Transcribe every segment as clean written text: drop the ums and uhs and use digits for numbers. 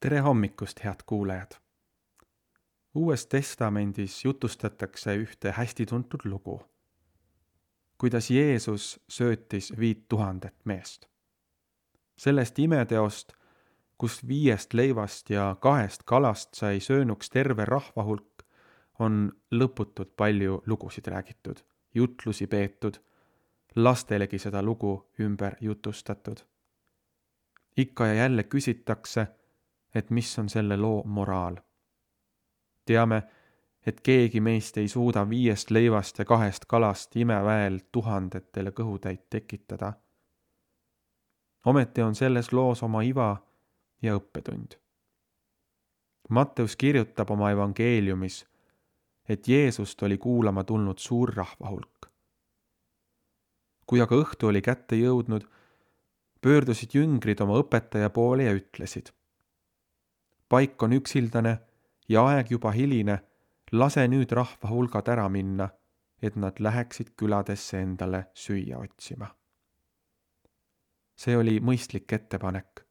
Tere hommikust, head kuulajad! Uues testamendis jutustatakse ühte hästi tuntud lugu, kuidas Jeesus söötis 5000 meest. Sellest imeteost, kus 5 leivast ja 2 kalast sai söönuks terve rahvahulk, on lõputult palju lugusid räägitud, jutlusi peetud, lastelegi seda lugu ümber jutustatud. Ikka ja jälle küsitakse, et mis on selle loo moraal. Teame, et keegi meist ei suuda 5 leivast ja 2 kalast imeväel 1000-tele kõhutäit tekitada. Ometi on selles loos oma iva ja õppetund. Matteus kirjutab oma evangeeliumis, et Jeesust oli kuulama tulnud suur rahvahulk. Kui aga õhtu oli kätte jõudnud, pöördusid jüngrid oma õpetaja poole ja ütlesid: paik on üksildane ja aeg juba hiline, lase nüüd rahvahulgad ära minna, et nad läheksid küladesse endale süüa otsima. See oli mõistlik ettepanek.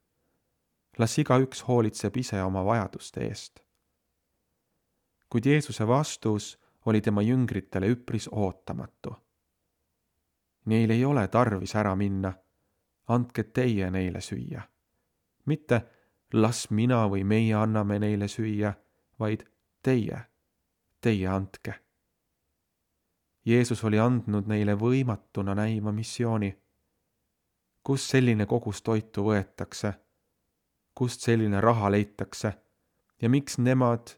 Las igaüks hoolitseb ise oma vajaduste eest. Kuid Jeesuse vastus oli tema jüngritele üpris ootamatu. Neil ei ole tarvis ära minna, andke teie neile süüa. Mitte las mina või meie anname neile süüa, vaid teie andke. Jeesus oli andnud neile võimatuna näima missiooni. Kust selline kogus toitu võetakse? Kust selline raha leitakse? Ja miks nemad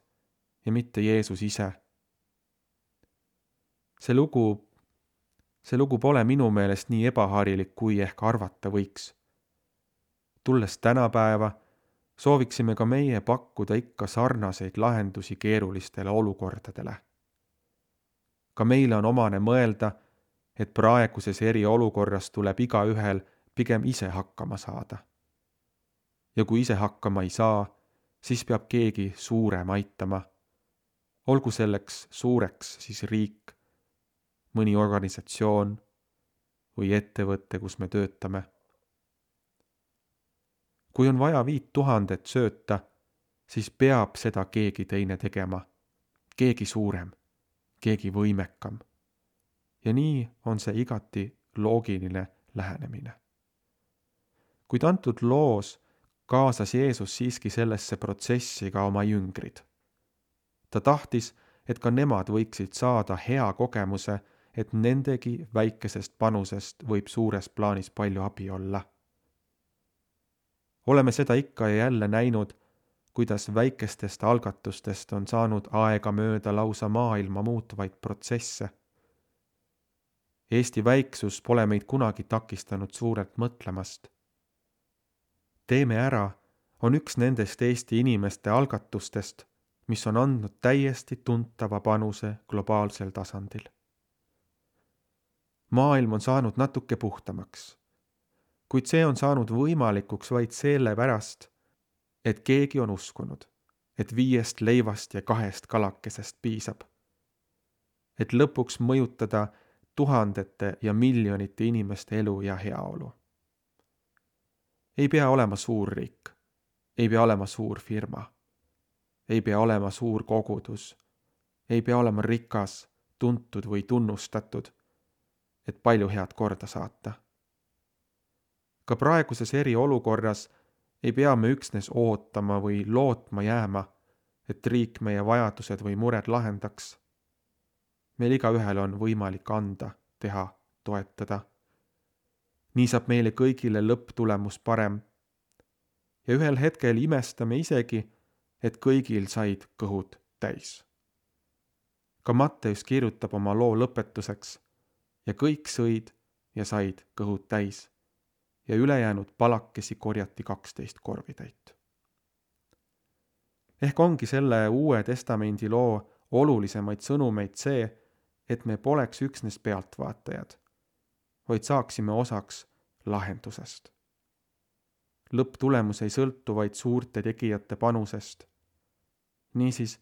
ja mitte Jeesus ise? See lugu pole minu meelest nii ebaharilik, kui ehk arvata võiks. Tulles tänapäeva, sooviksime ka meie pakkuda ikka sarnaseid lahendusi keerulistele olukordadele. Ka meile on omane mõelda, et praeguses eriolukorras tuleb igaühel pigem ise hakkama saada. Ja kui ise hakkama ei saa, siis peab keegi suurem aitama. Olgu selleks suureks siis riik, mõni organisatsioon või ettevõte, kus me töötame. Kui on vaja 5000 sööta, siis peab seda keegi teine tegema, keegi suurem, keegi võimekam. Ja nii on see igati loogiline lähenemine. Kuid antud loos kaasas Jeesus siiski sellesse protsessi ka oma jüngrid. Ta tahtis, et ka nemad võiksid saada hea kogemuse, et nendegi väikesest panusest võib suures plaanis palju abi olla. Oleme seda ikka ja jälle näinud, kuidas väikestest algatustest on saanud aega mööda lausa maailma muutvaid protsesse. Eesti väiksus pole meid kunagi takistanud suurelt mõtlemast. Teeme ära on üks nendest Eesti inimeste algatustest, mis on andnud täiesti tuntava panuse globaalsel tasandil. Maailm on saanud natuke puhtamaks, kuid see on saanud võimalikuks vaid sellepärast, et keegi on uskunud, et 5 leivast ja 2 kalakesest piisab. Et lõpuks mõjutada tuhandete ja miljonite inimeste elu ja heaolu. Ei pea olema suur riik, ei pea olema suur firma, ei pea olema suur kogudus, ei pea olema rikas, tuntud või tunnustatud, et palju head korda saata. Ka praeguses eriolukorras ei pea me üksnes ootama või lootma jääma, et riik meie vajadused või mured lahendaks. Meil igaühel on võimalik anda, teha, toetada. Nii saab meile kõigile lõpptulemus parem. Ja ühel hetkel imestame isegi, et kõigil said kõhud täis. Ka Matteus kirjutab oma loo lõpetuseks ja kõik sõid ja said kõhud täis ja ülejäänud palakesi korjati 12 korvitäit. Ehk ongi selle Uue Testamendi loo olulisemaid sõnumeid see, et me poleks üksnes pealtvaatajad, vaid saaksime osaks lahendusest. Lõpptulemus ei sõltu vaid suurte tegijate panusest. Niisiis,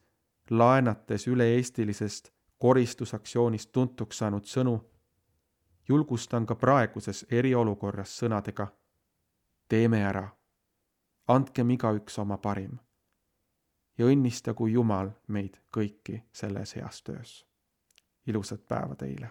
laenates üle-eestilisest koristusaktsioonist tuntuks saanud sõnu, julgustan ka praeguses eriolukorras sõnadega: teeme ära, andkem igaüks oma parim ja õnnistagu Jumal meid kõiki selles heas töös. Ilusat päeva teile!